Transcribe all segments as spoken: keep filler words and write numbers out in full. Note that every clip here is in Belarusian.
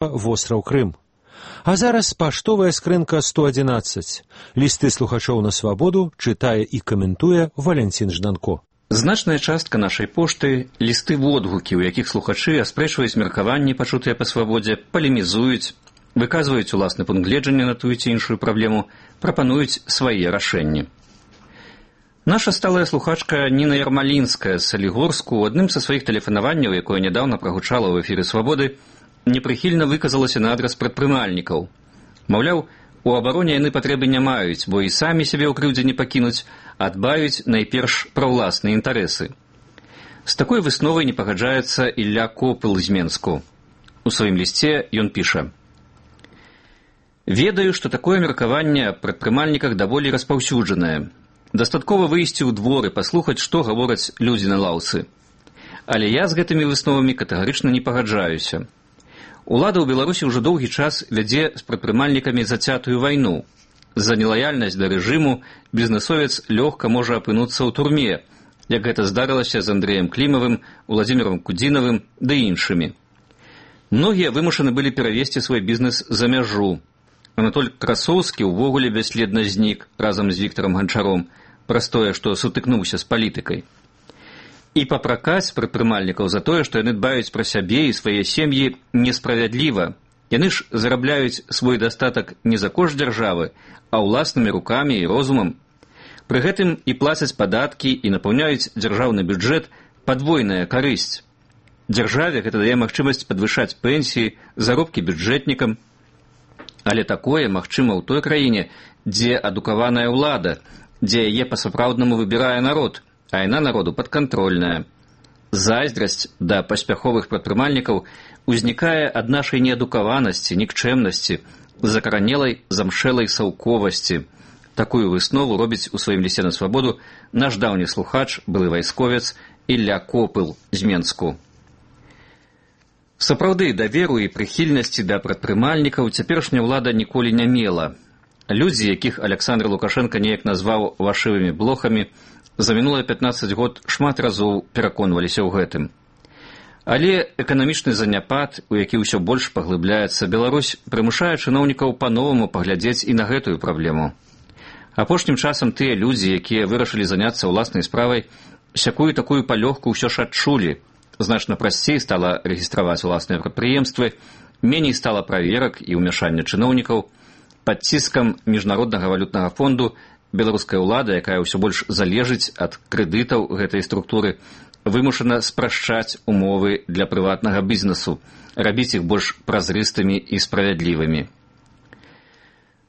востраў Крым. А зараз паштовая скрынка сто адзінаццаць. Лісты слухачоў на свабоду чытае і каментуе Валянцін Жданко. Значная частка нашай пошты – лісты водгукі, у якіх слухачы аспрэчваюць меркаванні, пачутыя па свабодзе, палемізуюць, выказваюць уласны пункт гледжання на тую ці іншую праблему, прапануюць свае рашэнні. Наша сталая слухачка Ніна Ярмалінская з Салігорску у адным са сваіх тэлефанаванняў, якое нядаўна прагучала ў эфіры «Свабоды», непрыхільна выказалася на адрас прадпрымальнікаў. Маўляў, у абароне яны патрэбы не маюць, бо і самі сябе ў крыўдзе не пакінуць, а дбаюць найперш пра ўласныя інтарэсы. З такой высновай не пагаджаецца Ілля Копыл з Менску. У сваім лісце ён піша: «Ведаю, што такое меркаванне аб прадпрымальніках даволі распаўсюджанае. Дастаткова выйсці ў двор і паслухаць, што гавораць людзі на лаўцы. Але я з гэтымі высновамі катэгарычна не пагаджаюся. Улада ў Беларусі ўжо доўгі час вядзе з прадпрымальнікамі зацятую вайну. За нелаяльнасць да рэжыму бізнэсовец лёгка можа апынуцца ў турме, як гэта здарылася з Андрэем Клімавым, Уладзімірам Кудзінавым ды іншымі. Многія вымушаны былі перавесці свой бізнес за мяжу. Анатоль Красоўскі ўвогуле бясследна знік разам з Віктарам Ганчаром, праз тое, што сутыкнуўся з палітыкай. І папракаць прадпрымальнікаў за тое, што яны дбаюць пра сябе і свае сем'і, несправядліва. Яны ж зарабляюць свой дастатак не за кошт дзяржавы, а ўласнымі рукамі і розумам. Пры гэтым і плацяць падаткі, і напаўняюць дзяржаўны бюджэт падвойная карысць. Дзяржаве гэта дае магчымасць падвышаць пенсіі, заробкі бюджэтнікам. Але такое магчыма ў той краіне, дзе адукаваная ўлада, дзе яе па-сапраўднаму выбірае народ, а яна народу падкантрольная. Зайздрасць да паспяховых прадпрымальнікаў узнікае ад нашай неадукаванасці, нікчэмнасці, закаранелай замшэлай саўковасці. Такую выснову робіць у сваім лісце на свабоду наш даўні слухач, былы вайсковец Ілля Копыл з Менску. Сапраўды, даверу і прыхільнасці да прадпрымальнікаў цяперашняя ўлада ніколі не мела. Людзі, якіх Аляксандр Лукашенка неяк назваў вашывымі блохамі, за мінулыя пятнаццаць год шмат разоў пераконваліся ў гэтым. Але эканамічны заняпад, у які ўсё больш паглыбляецца, Беларусь прымушае чыноўнікаў па-новаму паглядзець і на гэтую праблему. Апошнім часам тыя людзі, якія вырашылі заняцца ўласнай справай, сякую такую палёгку ўсё ж адчулі. Значна прасцей стала рэгістраваць уласныя прадпрыемствы, меней стала праверак і ўмяшання чыноўнікаў. Пад ціскам міжнароднага валютнага фонду беларуская ўлада, якая ўсё больш залежыць ад крэдытаў гэтай структуры, вымушана спрашчаць умовы для прыватнага бізнесу, рабіць іх больш празрыстымі і справядлівымі.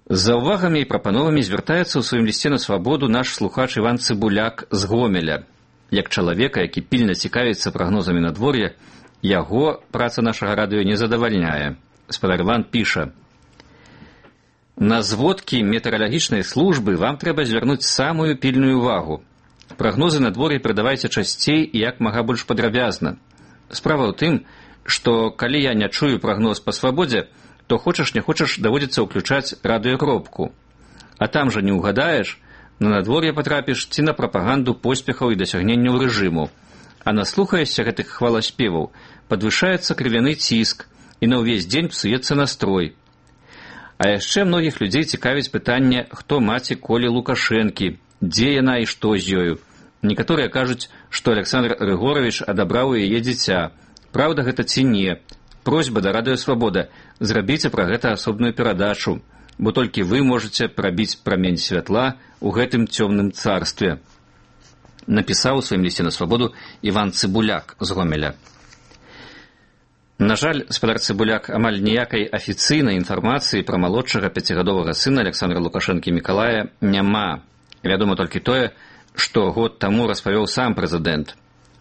З заўвагамі і прапановамі звяртаецца ў сваім лісце на свабоду наш слухач Іван Цыбуляк з Гомеля. Як чалавека, які пільна цікавіцца прагнозамі надвор'я, яго праца нашага радыё не задавальняе. Спадар Іван піша: «На зводкі метэаралагічнай службы вам трэба звярнуць самую пільную увагу. Прагнозы надвор'я перадавайце часцей і як мага больш падрабязна. Справа ў тым, што калі я не чую прагноз па свабодзе, то хочаш не хочаш даводзіцца ўключаць радыёкропку. А там жа не ўгадаеш, на надвор'е патрапіш ці на прапаганду поспехаў і дасягненняў рэжыму. А наслухаешся гэтых хваласпеваў, падвышаецца крывяны ціск, і на ўвесь дзень псуецца настрой. А яшчэ многіх людзей цікавіць пытанне, хто маці Колі Лукашэнкі, дзе яна і што з ёю. Некаторыя кажуць, што Аляксандр Рыгоравіч адабраў у яе дзіця. Праўда гэта ці не? Просьба да радыё «Свабода», зрабіце пра гэта асобную перадачу, бо толькі вы можаце прабіць прамень святла ў гэтым цёмным царстве. Напісаў у сваім лісце на свабоду Іван Цыбуляк з Гомеля. На жаль, спадар Цыбуляк, амаль ніякай афіцыйнай інфармацыі пра малодшага пяцігадовага сына Аляксандра Лукашэнкі Мікалая няма. Вядома толькі тое, што год таму распавёў сам прэзідэнт.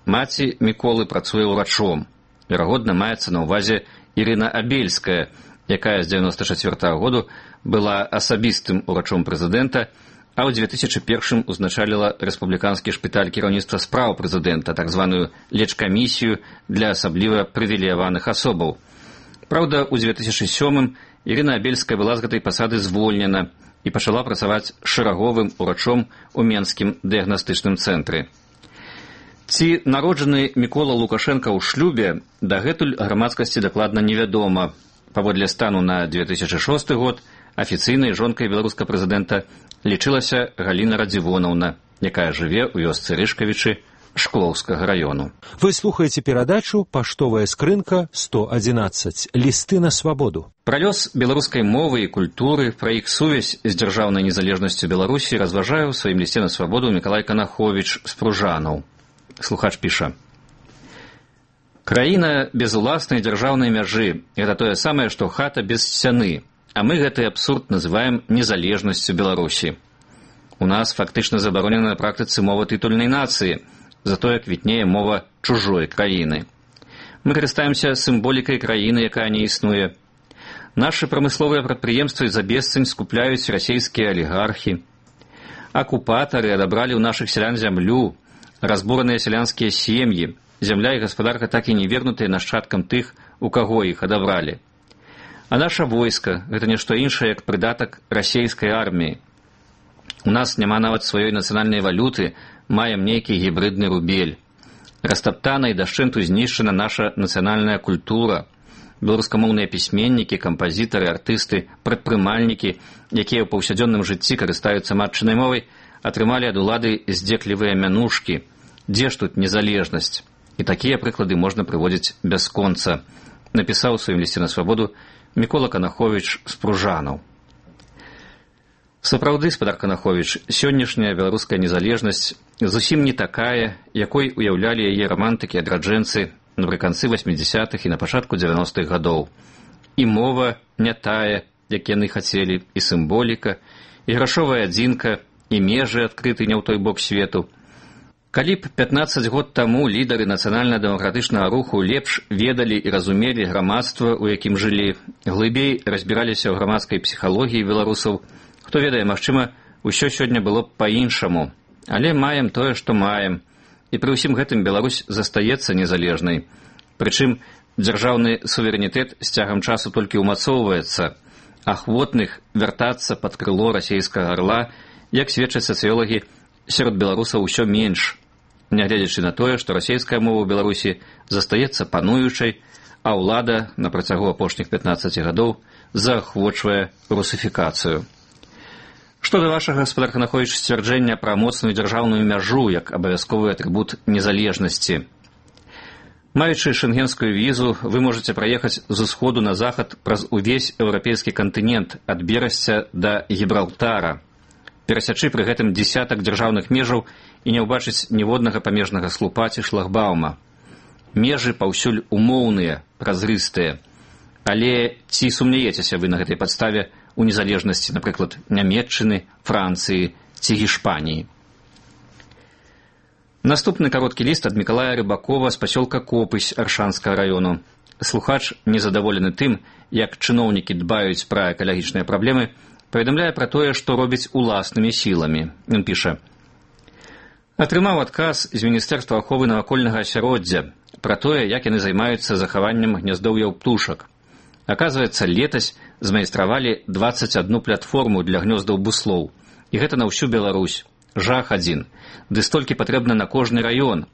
Маці Міколы працуе ўрачом. Верагодна, маецца на ўвазе Ірына Абельская, якая з дзевяноста чацвёртага году была асабістым урачом прэзідэнта, а ў дзве тысячы першым узначаліла рэспубліканскі шпіталь кіраўніцтва спраў прэзідэнта, так званую лечкамісію для асабліва прывілеяваных асобаў. Праўда, у дзве тысячы сёмым Ірына Абельская была з гэтай пасады звольнена і пачала працаваць шэраговым урачом у Менскім дыягнастычным цэнтры. Ці народжаны Мікола Лукашенка ў шлюбе, дагэтуль грамадскасці дакладна невядома. Паводле стану на две тысячи шосты год афіцыйнай жонкай беларускага прэзідэнта лічылася Галіна Радзівонаўна, якая жыве ў вёсцы Рышкавічы Шклоўскага раёну. Вы слухаеце перадачу «Паштовая скрынка сто адзінаццаць. Лісты на свабоду». Пра лёс беларускай мовы і культуры, пра іх сувязь з дзяржаўнай незалежнасцю Беларусі разважае ў сваім лісце на свабоду Мікалай Канаховіч з Пружанаў. Слухач піша: «Краіна без уласнай дзяржаўнай мяжы – гэта тое самае, што хата без сцяны, а мы гэты абсурд называем незалежнасцю Беларусі. У нас фактычна забаронена на практыцы мова тытульнай нацыі, затое квітнее мова чужой краіны. Мы карыстаемся сімволікай краіны, якая не існуе. Нашы прамысловыя прадпрыемствы за бесцань скупляюць расійскія алігархі. Акупатары адабралі ў нашых сялян зямлю, разбураныя сялянскія сем'і, зямля і гаспадарка так і не вернутыя нашчадкам тых, у каго іх адабралі. А наша войска – гэта нешта іншае, як прыдатак расійскай арміі. У нас няма нават сваёй нацыянальнай валюты, маем нейкі гібридны рубель. Растаптана і дашчэнту знішчана наша нацыянальная культура. Беларускамоўныя пісьменнікі, кампазітары, артысты, прадпрымальнікі, якія ў паўсядзённым жыцці карыстаюцца матчынай мовай, атрымалі ад улады здзеклівыя мянушкі. Дзе ж тут незалежнасць? І такія прыклады можна прыводзіць бясконца, напісаў у сваім лісце на свабоду Мікола Канаховіч з Пружанаў. Сапраўды, спадар Канаховіч, сённяшняя беларуская незалежнасць зусім не такая, якой уяўлялі яе рамантыкі і адраджэнцы напрыканцы васьмідзясятых і на пачатку дзевяностых гадоў. І мова не тая, як яны хацелі, і сімволіка, і грашовая адзінка, і межы адкрыты не ў той бок свету. Калі б пятнаццаць год таму лідары нацыянальна-дэмакратычнага руху лепш ведалі і разумелі грамадства, у якім жылі, глыбей разбіраліся ў грамадскай псіхалогіі беларусаў, хто ведае, магчыма, усё сёння было б па-іншаму. Але маем тое, што маем. І пры ўсім гэтым Беларусь застаецца незалежнай. Прычым, дзяржаўны суверэнітэт з цягам часу толькі ўмацоўваецца. Ахвотных вяртацца пад крыло расійскага арла, як сведчаць сацыёлагі, сярод беларусаў усё менш, нягледзячы на тое, што расійская мова ў Беларусі застаецца пануючай, а ўлада на працягу апошніх пятнаццаці гадоў заахвочвае русіфікацыю. Што да вашага, гаспадар Канаховіч, сцвярджэння пра моцную дзяржаўную мяжу як абавязковы атрыбут незалежнасці. Маючы шэнгенскую візу, вы можаце праехаць з усходу на захад праз увесь еўрапейскі кантынент ад Берасця да Гібралтара, перасячы пры гэтым дзесятак дзяржаўных межаў і не ўбачыць ніводнага памежнага слупа ці шлагбаума. Межы паўсюль умоўныя, празрыстыя. Але ці сумняецеся вы на гэтай падставе у незалежнасці, напрыклад, Нямецчыны, Францыі ці Гішпаніі? Наступны кароткі ліст ад Мікалая Рыбакова з пасёлка Копысь Аршанскага раёну. Слухач, незадаволены тым, як чыноўнікі дбаюць пра экалагічныя праблемы, паведамляе пра тое, што робіць уласнымі сіламі. Ён піша: «Атрымаў адказ з Міністэрства аховы навакольнага асяроддзя пра тое, як яны займаюцца захаваннем гняздоўяў птушак. Аказваецца, летась змайстравалі дваццаць адну платформу для гнёздаў буслоў. І гэта на ўсю Беларусь. Жах адзін. Ды столькі патрэбна на кожны раён.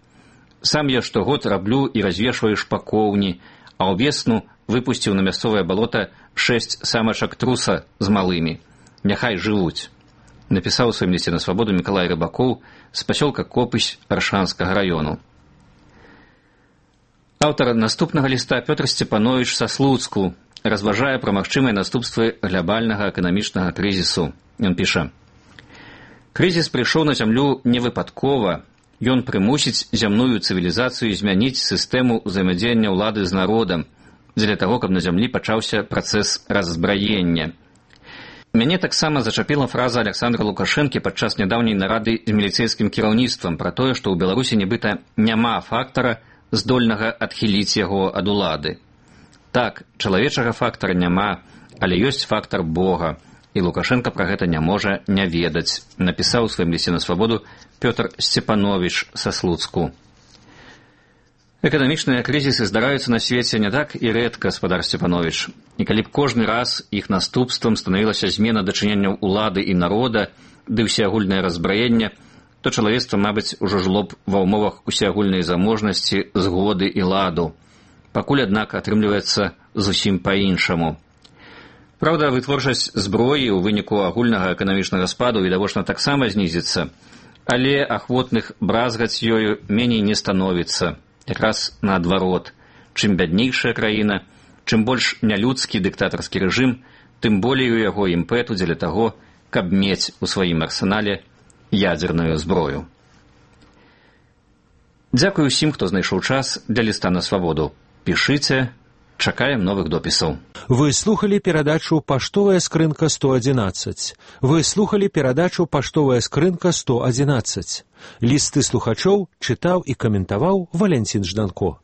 Сам я штогод раблю і развешваю шпакоўні, а ўвесну выпусціў на мясцовае балота шэсць самачак труса з малымі. Няхай жывуць», напісаў у сваім лісце на свабоду Мікалай Рыбакоў з пасёлка Копысь Аршанскага раёну. Аўтар наступнага ліста Пётр Сцепановіч са Слуцку разважае пра магчымыя наступствы глябальнага эканамічнага крызісу. Ён піша: «Крызіс прыйшоў на зямлю невыпадкова. Ён прымусіць зямную цывілізацыю змяніць сістэму ўзаемадзеяння ўлады з народам, дзеля таго, каб на зямлі пачаўся працэс раззбраення». Мяне таксама зачапіла фраза Аляксандра Лукашэнкі падчас нядаўняй нарады з міліцэйскім кіраўніцтвам пра тое, што ў Беларусі нібыта няма фактара, здольнага адхіліць яго ад улады. Так, чалавечага фактара няма, але ёсць фактар Бога, і Лукашенка пра гэта не можа не ведаць, напісаў у сваім лісце на свабоду Пётр Сцепановіч са Слуцку. Эканамічныя крызісы здараюцца на свеце не так і рэдка, спадар Сцепановіч. І калі б кожны раз іх наступствам станавілася змена дачыненняў улады і народа ды ўсеагульнае разбраенне, то чалавецтва, мабыць, ужо жыло б ва ўмовах усеагульнай заможнасці, згоды і ладу. Пакуль, аднак, атрымліваецца зусім па-іншаму. Праўда, вытворчасць зброі ў выніку агульнага эканамічнага спаду відавочна таксама знізіцца, але ахвотных бразгаць ёю меней не становіцца. Якраз наадварот. Чым бяднейшая краіна, чым больш нялюдскі дыктатарскі рэжым, тым болей у яго імпэту дзеля таго, каб мець у сваім арсенале ядзерную зброю. Дзякую ўсім, хто знайшоў час для ліста на свабоду. Пішыце, чакаем новых допісаў. Вы слухали перадачу «Паштовая скрынка сто адзінаццаць». Вы слухали перадачу «Паштовая скрынка сто адзінаццаць». Лісты слухачоў чытаў і каментаваў Валянцін Жданко.